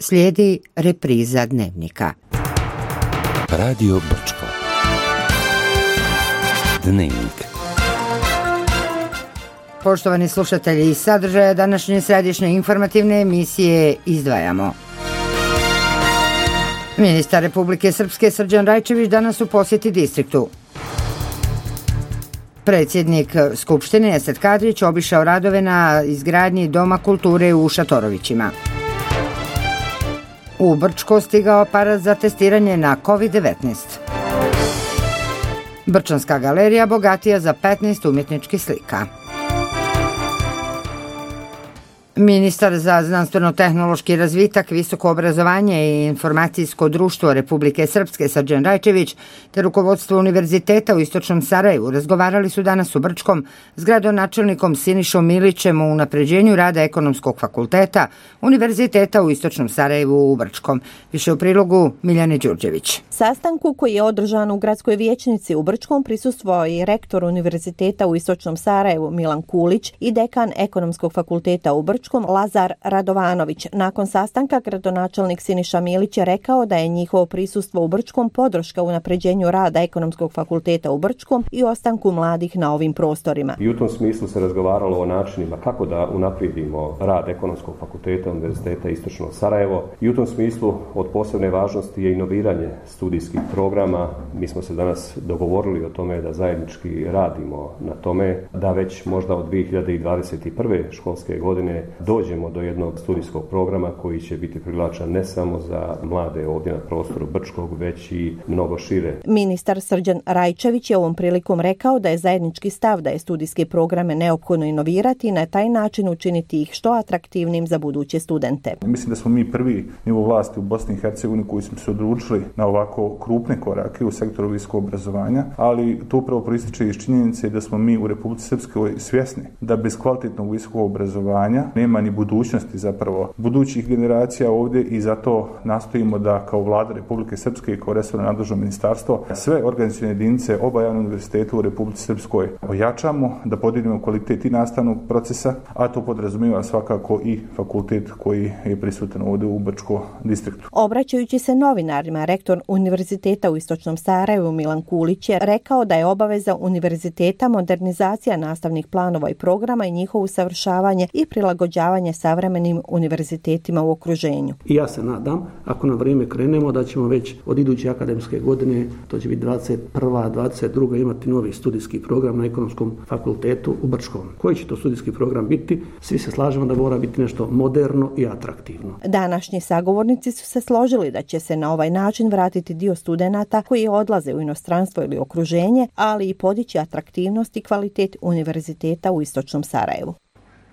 Slijedi repriza Dnevnika. Radio Brčko. Dnevnik. Poštovani slušatelji, iz sadržaja današnje središnje informativne emisije izdvajamo. Ministar Republike Srpske Srđan Rajčević danas u posjeti distriktu. Predsjednik Skupštine Esad Kadrić obišao radove na izgradnji Doma kulture u Šatorovićima. U Brčko stigao aparat za testiranje na COVID-19. Brčanska galerija bogatija za 15 umjetničkih slika. Ministar za znanstveno-tehnološki razvitak, visoko obrazovanje i informacijsko društvo Republike Srpske Srđan Rajčević te rukovodstvo Univerziteta u Istočnom Sarajevu razgovarali su danas u Brčkom s gradonačelnikom Sinišom Milićem o unapređenju rada Ekonomskog fakulteta Univerziteta u Istočnom Sarajevu u Brčkom. Više u prilogu Miljane Đurđević. Sastanku koji je održan u gradskoj vijećnici u Brčkom prisustvovao i rektor Univerziteta u Istočnom Sarajevu Milan Kulić i dekan Ekonomskog fakulteta u Brčkom Lazar Radovanović. Nakon sastanka gradonačelnik Siniša Milić je rekao da je njihovo prisustvo u Brčkom podrška unapređenju rada Ekonomskog fakulteta u Brčkom i ostanku mladih na ovim prostorima. I u tom smislu se razgovaralo o načinima kako da unaprijedimo rad Ekonomskog fakulteta Univerziteta Istočno Sarajevo i u tom smislu od posebne važnosti je inoviranje studijskih programa. Mi smo se danas dogovorili o tome da zajednički radimo na tome da već možda od 2021. školske godine dođemo do jednog studijskog programa koji će biti privlačan ne samo za mlade ovdje na prostoru Brčkog, već i mnogo šire. Ministar Srđan Rajčević je ovom prilikom rekao da je zajednički stav da je studijske programe neophodno inovirati i na taj način učiniti ih što atraktivnim za buduće studente. Mislim da smo mi prvi nivo vlasti u Bosni i Hercegovini koji smo se odlučili na ovako krupne korake u sektoru visokog obrazovanja, ali to upravo proističe iz činjenice da smo mi u Republici Srpskoj svjesni da bez kvalitetnog visokog obrazovanja nema ni budućnosti zapravo budućih generacija ovdje i zato nastojimo da kao Vlada Republike Srpske i kao resorno nadležno ministarstvo sve organizacione jedinice oba javna univerziteta u Republici Srpskoj ojačamo, da podignemo kvalitet i nastavnog procesa, a to podrazumijeva svakako i fakultet koji je prisutan ovdje u Brčko distriktu. Obraćajući se novinarima, rektor Univerziteta u Istočnom Sarajevu Milan Kulić je rekao da je obaveza univerziteta modernizacija nastavnih planova i programa i njihovo usavršavanje i prilagođavanje savremenim univerzitetima u okruženju. I ja se nadam, ako na vrijeme krenemo, da ćemo već od iduće akademske godine, to će biti 21. 22. imati novi studijski program na Ekonomskom fakultetu u Brčkom. Koji će to studijski program biti? Svi se slažemo da mora biti nešto moderno i atraktivno. Današnji sagovornici su se složili da će se na ovaj način vratiti dio studenata koji odlaze u inostranstvo ili okruženje, ali i podići atraktivnost i kvalitet Univerziteta u Istočnom Sarajevu.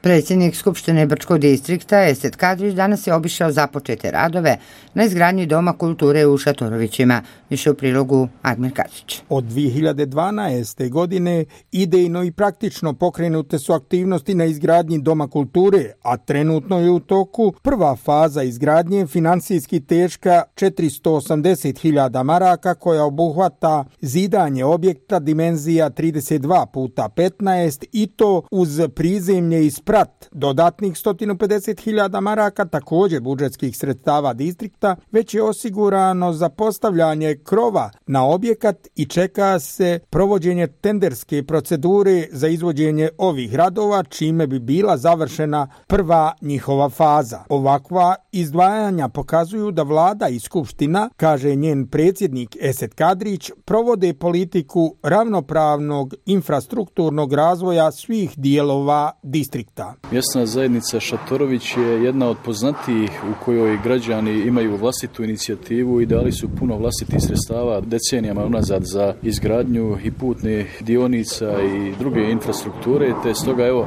Predsjednik Skupštine Brčkog distrikta Esad Kadrić danas je obišao započete radove na izgradnji Doma kulture u Šatorovićima. Više u prilogu Admir Kačić. Od 2012. godine idejno i praktično pokrenute su aktivnosti na izgradnji Doma kulture, a trenutno je u toku prva faza izgradnje financijski teška 480.000 maraka koja obuhvata zidanje objekta dimenzija 32x15 i to uz prizemlje i sprat dodatnih 150.000 maraka, također budžetskih sredstava distrikta, već je osigurano za postavljanje krova na objekat i čeka se provođenje tenderske procedure za izvođenje ovih radova, čime bi bila završena prva njihova faza. Ovakva izdvajanja pokazuju da vlada i skupština, kaže njen predsjednik Esad Kadrić, provode politiku ravnopravnog infrastrukturnog razvoja svih dijelova distrikta. Mjesna zajednica Šatorović je jedna od poznatijih u kojoj građani imaju vlastitu inicijativu i dali su puno vlastitih sredstava decenijama unazad za izgradnju i putnih dionica i druge infrastrukture, te stoga evo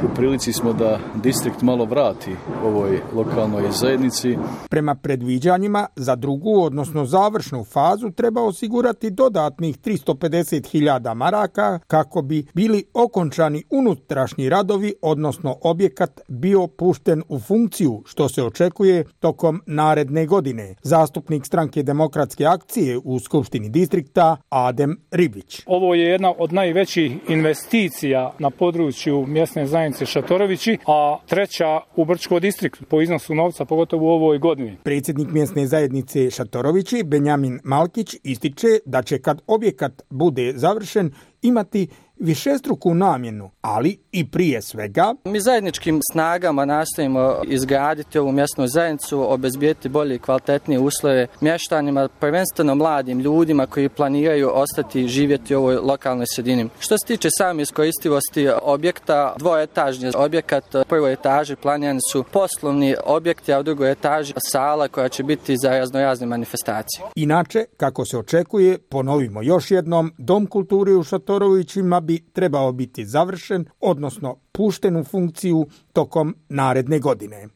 u prilici smo da distrikt malo vrati ovoj lokalnoj zajednici. Prema predviđanjima za drugu, odnosno završnu fazu treba osigurati dodatnih 350.000 maraka kako bi bili okončani unutrašnji radovi, odnosno odnosno objekat bio pušten u funkciju, što se očekuje tokom naredne godine. Zastupnik Stranke demokratske akcije u Skupštini distrikta Adem Ribić. Ovo je jedna od najvećih investicija na području mjesne zajednice Šatorovići, a treća u Brčkom distriktu po iznosu novca, pogotovo u ovoj godini. Predsjednik mjesne zajednice Šatorovići, Benjamin Malkić, ističe da će kad objekat bude završen imati višestruku namjenu, ali i prije svega mi zajedničkim snagama nastojimo izgraditi ovu mjesnu zajednicu, obezbijeti bolje i kvalitetnije uslove mještanima, prvenstveno mladim ljudima koji planiraju ostati živjeti u ovoj lokalnoj sredini. Što se tiče same iskoristivosti objekta, dvoetažni objekat, u prvoj etaži planirani su poslovni objekti, a u drugoj etaži sala koja će biti za raznorazne manifestacije. Inače, kako se očekuje, ponovimo još jednom, Dom kulture u Šatorovićima bi trebao biti završen, odnosno pušten u funkciju tokom naredne godine.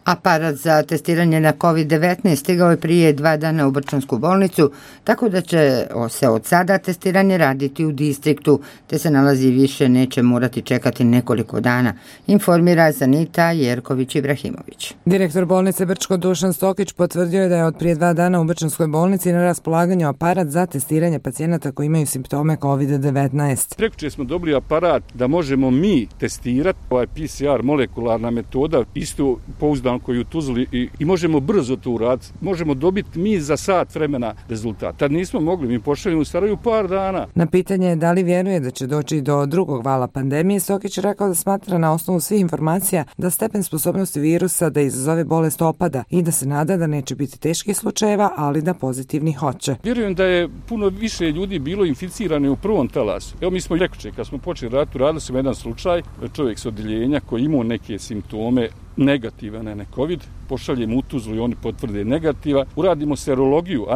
Aparat za testiranje na COVID-19 stigao je prije 2 dana u Brčansku bolnicu, tako da će se od sada testiranje raditi u distriktu, te se nalazi više neće morati čekati nekoliko dana, informira Zanita Jerković-Ibrahimović. Direktor bolnice Brčko Dušan Stokić potvrdio je da je od prije 2 dana u Brčanskoj bolnici na raspolaganju aparat za testiranje pacijenata koji imaju simptome COVID-19. Prekjučer smo dobili aparat da možemo mi testirati, ovaj PCR molekularna metoda, isto pouzdan koji u Tuzli i možemo brzo to uraditi. Možemo dobiti mi za sat vremena rezultat. Tad nismo mogli, mi pošaljemo u Sarajevu par dana. Na pitanje da li vjeruje da će doći do drugog vala pandemije, Stokić je rekao da smatra na osnovu svih informacija da stepen sposobnosti virusa da izazove bolest opada i da se nada da neće biti teških slučajeva, ali da pozitivni hoće. Vjerujem da je puno više ljudi bilo inficirano u prvom talasu. Evo mi smo prekjučer, kad smo počeli raditi, radili smo jedan slučaj, čovjek s odjeljenja koji imao neke simptome negativan, ne COVID, pošaljemo u Tuzlu i oni potvrde negativa, uradimo serologiju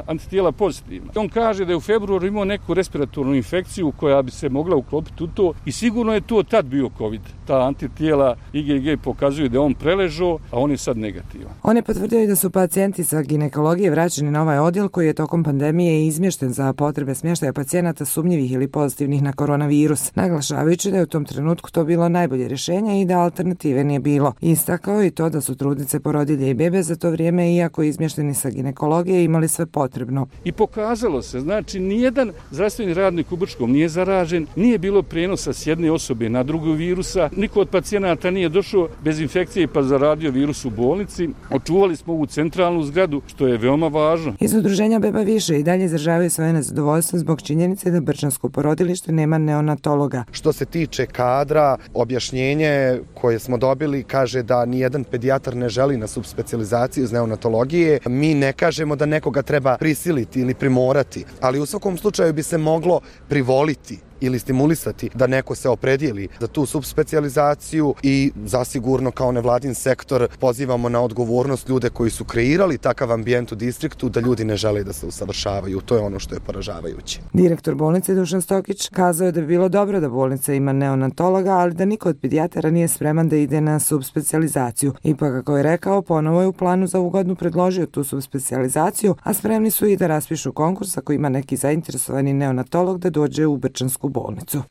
antitijela pozitivna. On kaže da je u februaru imao neku respiratornu infekciju koja bi se mogla uklopiti u to i sigurno je to tad bio COVID. Ta antitijela IgG pokazuju da je on preležao, a on je sad negativan. On je potvrdio i da su pacijenti sa ginekologije vraćeni na ovaj odjel koji je tokom pandemije izmješten za potrebe smještaja pacijenata sumnjivih ili pozitivnih na koronavirus, naglašavajući da je u tom trenutku to bilo najbolje rješenje i da alternative nije bilo. Istakao i to da su trudnice, porodilje i bebe za to vrijeme, iako izmješteni sa ginekologije, imali sve potrebno. I pokazalo se, znači nijedan zdravstveni radnik u Brčkom nije zaražen, nije bilo prijenosa s jedne osobe na drugu virusa, niko od pacijenata nije došao bez infekcije pa zaradio virus u bolnici. Očuvali smo ovu centralnu zgradu, što je veoma važno. Iz udruženja Beba više i dalje izražavaju svoje nezadovoljstvo zbog činjenice da Brčansko porodilište nema neonatologa. Što se tiče kadra, objašnjenje koje smo dobili kaže da nijedan pedijatar ne želi na subspecijalizaciju iz neonatologije. Mi ne kažemo da nekoga treba prisiliti ili primorati, ali u svakom slučaju bi se moglo privoliti ili stimulisati da neko se opredijeli za tu subspecijalizaciju i zasigurno kao nevladin sektor pozivamo na odgovornost ljude koji su kreirali takav ambijent u distriktu da ljudi ne žele da se usavršavaju. To je ono što je poražavajuće. Direktor bolnice Dušan Stokić kazao je da bi bilo dobro da bolnica ima neonatologa, ali da niko od pedijatara nije spreman da ide na subspecijalizaciju. Ipak, kako je rekao, ponovo je u planu za ovu godinu predložio tu subspecijalizaciju, a spremni su i da raspišu konkurs ako ima neki zainteresovani neonatolog da dođe u Brčansku bolnicu.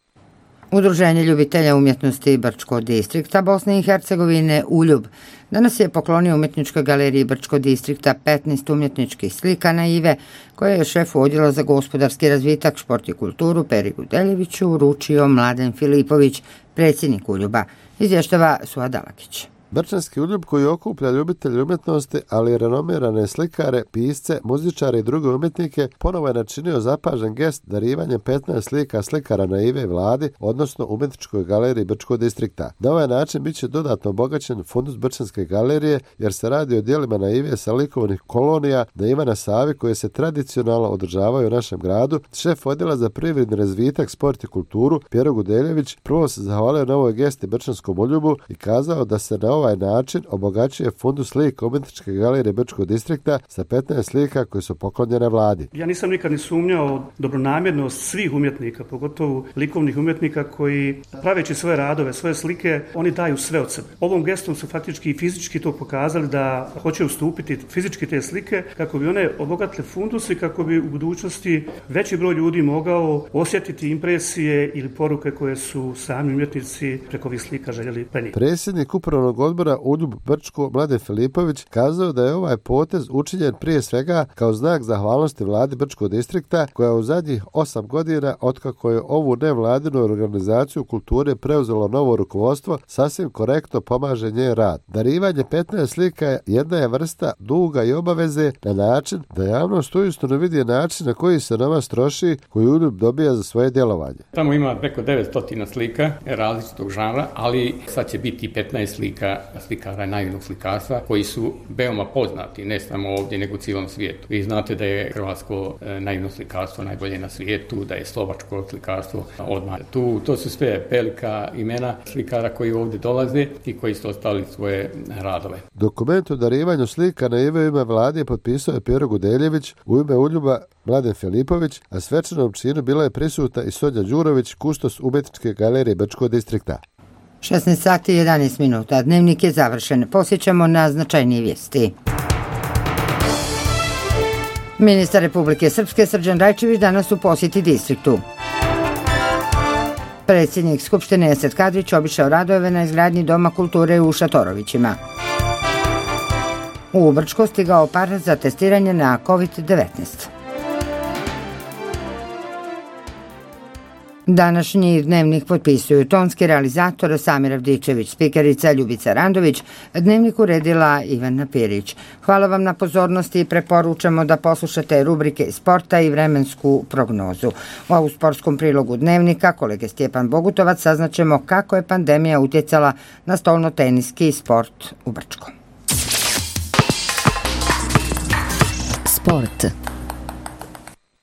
Udruženje ljubitelja umjetnosti Brčko distrikta Bosne i Hercegovine Uljub danas je poklonio umjetničkoj galeriji Brčko distrikta 15 umjetničkih slika na Ive, koje je šefu odjela za gospodarski razvitak, šport i kulturu Peri Gudeljeviću uručio Mladen Filipović, predsjednik Uljuba, izvještava Suad Dalakić. Brčanski Uljub koji okuplja ljubitelje umjetnosti, ali i renomirane slikare, pisce, muzičare i druge umjetnike, ponovo je načinio zapažen gest darivanjem 15 slika slikara na Ive Vladi, odnosno umjetničkoj galeriji Brčkog distrikta. Na ovaj način bit će dodatno obogaćen fundus Brčanske galerije, jer se radi o dijelima na Ive sa likovnih kolonija na Ivana Savi koje se tradicionalno održavaju u našem gradu. Šef odjela za privredni razvitak, sport i kulturu Pero Gudeljević prvo se zahvalio na ovoj gesti Brčanskom Uljubu i kazao da se na ovaj način obogaćuje fundus slika umjetničke galerije Brčkog distrikta sa 15 slika koje su poklonjene vladi. Ja nisam nikad ni sumnjao dobronamjernost svih umjetnika, pogotovo likovnih umjetnika koji praveći svoje radove, svoje slike, oni daju sve od sebe. Ovom gestom su faktički i fizički to pokazali da hoće ustupiti fizički te slike kako bi one obogatile fundus i kako bi u budućnosti veći broj ljudi mogao osjetiti impresije ili poruke koje su sami umjetnici preko ovih slika željeli prenijeti. Predsjednik upravnog odbora ULJUB Brčko Mladen Filipović kazao da je ovaj potez učinjen prije svega kao znak zahvalnosti vladi Brčkog distrikta koja u zadnjih 8 godina otkako je ovu nevladinu organizaciju kulture preuzelo novo rukovodstvo sasvim korektno pomaže njen rad. Darivanje 15 slika jedna je vrsta duga i obaveze na način da javnost uistinu vidi način na koji se novac troši koji ULJUB dobija za svoje djelovanje. Tamo ima preko 900 slika različitog žanra, ali sad će biti 15 slika slikara naivnog slikarstva koji su veoma poznati, ne samo ovdje nego u cijelom svijetu. Vi znate da je hrvatsko naivno slikarstvo najbolje na svijetu, da je slovačko slikarstvo odmah tu. To su sve velika imena slikara koji ovdje dolaze i koji su ostali svoje radove. Dokument o darivanju slika na ime vlade potpisao je Pero Gudeljević, u ime ULJUB-a Mladen Filipović, a svečanom činu bila je prisutna i Sonja Đurović, kustos umjetničke galerije Brčkog distrikta. 16 sati i 11 minuta. Dnevnik je završen. Posjećamo na značajnije vijesti. Ministar Republike Srpske Srđan Rajčević danas u posjeti distriktu. Predsjednik Skupštine Esad Kadrić obišao radove na izgradnji Doma kulture u Šatorovićima. U Brčko stigao aparat za testiranje na COVID-19. Današnji dnevnik potpisuju tonski realizator Samir Avdičević, spikerica Ljubica Randović, dnevnik uredila Ivana Pirić. Hvala vam na pozornosti i preporučamo da poslušate rubrike sporta i vremensku prognozu. U sportskom prilogu dnevnika kolege Stjepan Bogutovac saznaćemo kako je pandemija utjecala na stolnoteniski sport u Brčkom. Sport.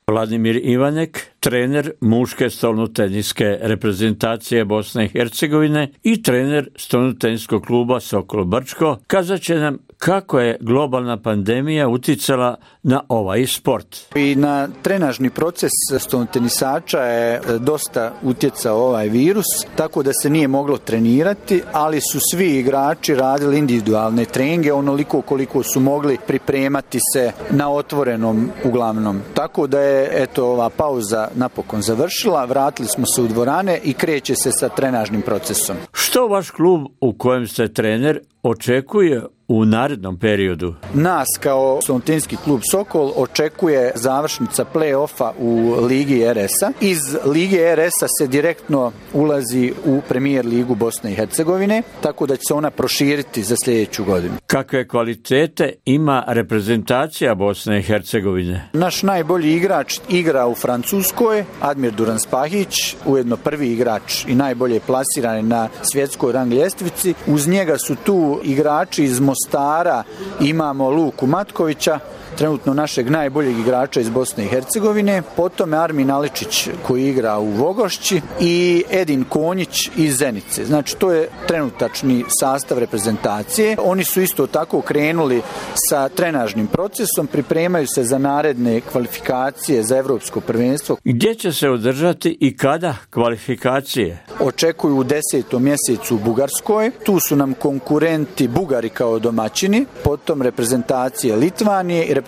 Vladimir Ivanek, trener muške stolnoteniske reprezentacije Bosne i Hercegovine i trener stolnoteniskog kluba Sokol Brčko, kazat će nam kako je globalna pandemija uticala na ovaj sport. I na trenažni proces stolnotenisača je dosta utjecao ovaj virus, tako da se nije moglo trenirati, ali su svi igrači radili individualne treninge onoliko koliko su mogli pripremati se na otvorenom uglavnom. Tako da je ova pauza napokon završila, vratili smo se u dvorane i kreće se sa trenažnim procesom. Što vaš klub u kojem ste trener očekuje u narednom periodu? Nas kao stolnotenski klub Sokol očekuje završnica play-offa u Ligi RS-a. Iz Lige RS-a se direktno ulazi u Premijer ligu Bosne i Hercegovine, tako da će se ona proširiti za sljedeću godinu. Kakve kvalitete ima reprezentacija Bosne i Hercegovine? Naš najbolji igrač igra u Francuskoj, Admir Duran-Spahić, ujedno prvi igrač i najbolje plasiran na svjetskoj rang ljestvici. Uz njega su tu igrači iz Mostara, imamo Luku Matkovića, trenutno našeg najboljeg igrača iz Bosne i Hercegovine, potom je Armin Aličić koji igra u Vogošći i Edin Konjić iz Zenice. Znači to je trenutačni sastav reprezentacije. Oni su isto tako krenuli sa trenažnim procesom, pripremaju se za naredne kvalifikacije za evropsko prvenstvo. Gdje će se održati i kada kvalifikacije? Očekuju u 10. mjesecu u Bugarskoj. Tu su nam konkurenti Bugari kao domaćini, potom reprezentacije Litvanije i reprezentacija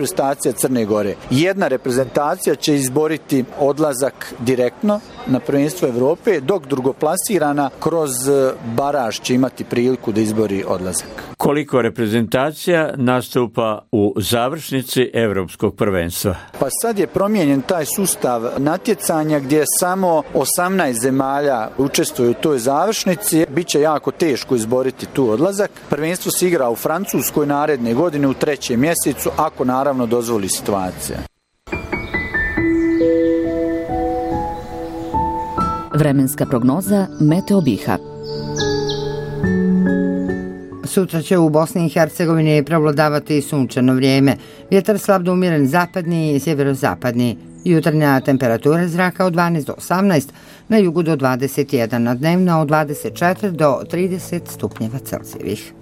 Crne Gore. Jedna reprezentacija će izboriti odlazak direktno na prvenstvo Evrope, dok drugoplasirana kroz baraž će imati priliku da izbori odlazak. Koliko reprezentacija nastupa u završnici Evropskog prvenstva? Pa sad je promijenjen taj sustav natjecanja gdje samo 18 zemalja učestvuje u toj završnici. Biće jako teško izboriti tu odlazak. Prvenstvo se igra u Francuskoj naredne godine u 3. mjesecu, ako naravno dozvoli situacija. Vremenska prognoza Meteo Biha. Sutra će u Bosni i Hercegovini prevladavati sunčano vrijeme. Vjetar slab do umjeren zapadni i sjeverozapadni. Jutarnja temperatura zraka od 12 do 18, na jugu do 21, na dnevna od 24 do 30 stupnjeva Celzijevih.